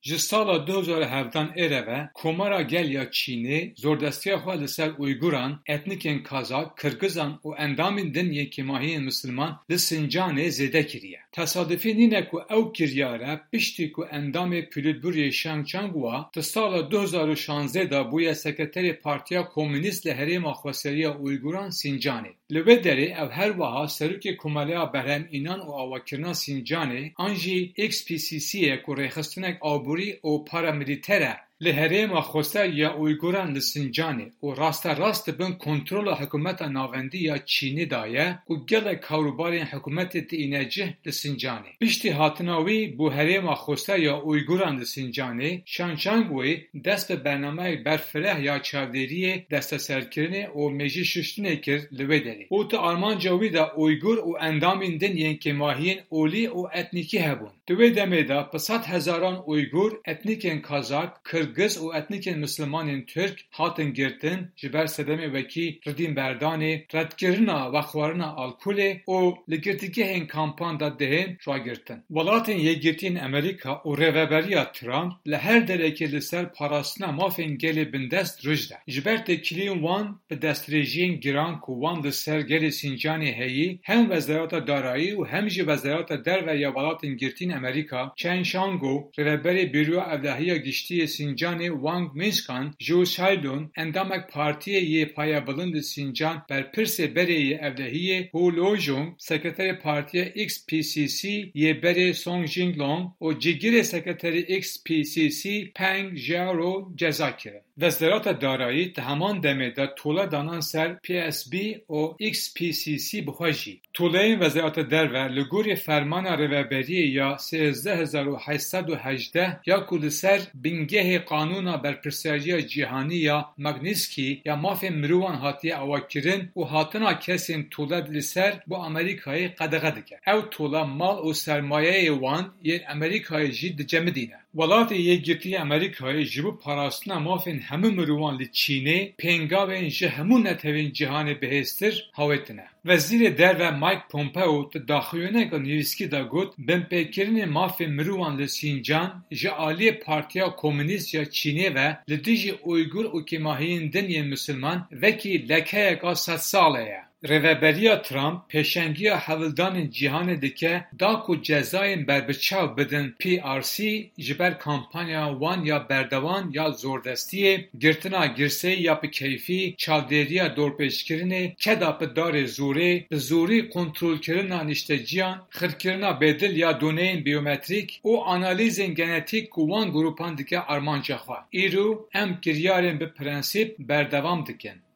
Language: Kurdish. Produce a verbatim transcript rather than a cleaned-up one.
Ji sala du hezar û hevdan ê re ve Komara Gel ya Çînê zordestiya xwe li ser Uyguran, etnîkên Kazak, Kirgizan û endamên din yên kêmahiyên misilman li Sincanê zêde kiriye. Tesadufî nîne ku ew kiryare piştî ku endamê Polîtbûroyê Shang Changwa di sala du hezar û şazdeh de bûye sekreterê Partiya Komûnîst li Herêma Xweseriya Uyguran Sincanê. Li wê derê ew her wiha serokê Komeleya Berhem Înan û Avakirina Sincanê an jî X P C C ye ku rêxistinek aborî û paramîlîter e li herêma xweser ya Uyguran li Sincanê û rasterast di bin kontrola hikûmeta navendî ya Çînê de ye û gelek karûbarên hikûmetê tîne cih li Sincanê. Piştî hatina wî bo herêma xweser ya Uyguran li Sincanê, Shang Changwei dest bi bernameyek berfireh ya çavdêriyê desteserkirinê û mêjî şuştinê kir li wê derê. Û di armanca wî de Uygur û endamên din yên kêmahiyên olî û etnîkî hebûn. Di wê demê de bi sed hezaran Uygur, etnîkên Kazak, Kirgiz û etnîkên Mislimanên Tirk hatin girtin, ji ber sedemê wekî ridînberdanê, redkirina vexwarina alkolê û li girtîgehên kampan de dihên ragirtin. Welatên Yekgirtî yên Amerîka û Rêveberiya Trump li her derekê li ser parastina mafên gelê bindest rûj de. Ji ber têkiliyên wan bi destdirêjiyên giran ku wan li ser gelê Sincanê heyî, hem Wezareta Darayî û hem jî Wezareta Derve ya Welatên Girtî yên Amerîka, Chen Shango, Rêveberê Bîroya Ewlehiya Giştî yê Sincanê Wang Mingshan, Zhu Shailun, endamek Partiyê yê Payebilind li Sincan, berpirsê berê yê ewlehiyê Hu Lojong, sekreterê Partiya X P C C yê berê Song Jinglong û cîgirê sekreterê X P C C Peng Xiaoro ceza kirin. Wezareta Darayî di heman demê de tole danan ser P S B û X P C C bi xwe jî. Toleyên Wezareta Derve li gorî fermana Rêveberiyê ya sêzdeh hezar û heşt sed û hejdeh ya ku li ser bingehê Qanûna Berpirsiyariya Cîhanî ya Magnitsky ya Mafên Mirovan hatiye avakirin û hatina kesên tole li ser bo Amerîkayê qedexe dike. Ew tole mal û sermayeyê wan yên Amerîkayê jî dicemidîne. Welatê Yekgirtî yê Amerîkayê ji bo parastina mafên hemû mirovan li Çînê pêngavên ji hemû netewên cîhanê bihêztir hawêtine. Wezîrê Derve Mike Pompeo di daxuyaniyeke nivîskî de got, binpêkirinê mafên mirovan li Sincan ji aliyê Partiya Komûnîst ya Çînê ve li dijî Uygur û kêmahiyên din yên misilman wekî lekeyeka sedsale ye. Rêveberiya Trump pêşengiya hewldanên cîhanê dike da ku cezayên berbiçav bidin P R C ji ber kampanya wan ya berdewam ya zordestiyê, girtina girseyî ya bi keyfî, çavdêriya dorpêçkirinê, keda bi darê zorê, bi zorî kontrolkirina nişteciyan, xirkirina bêdil ya doneyên biyometrîk û analîzên genetîk ku wan grûpan dike armanca xwe. Îro em kiryarên bi prensîp berdewam dikin.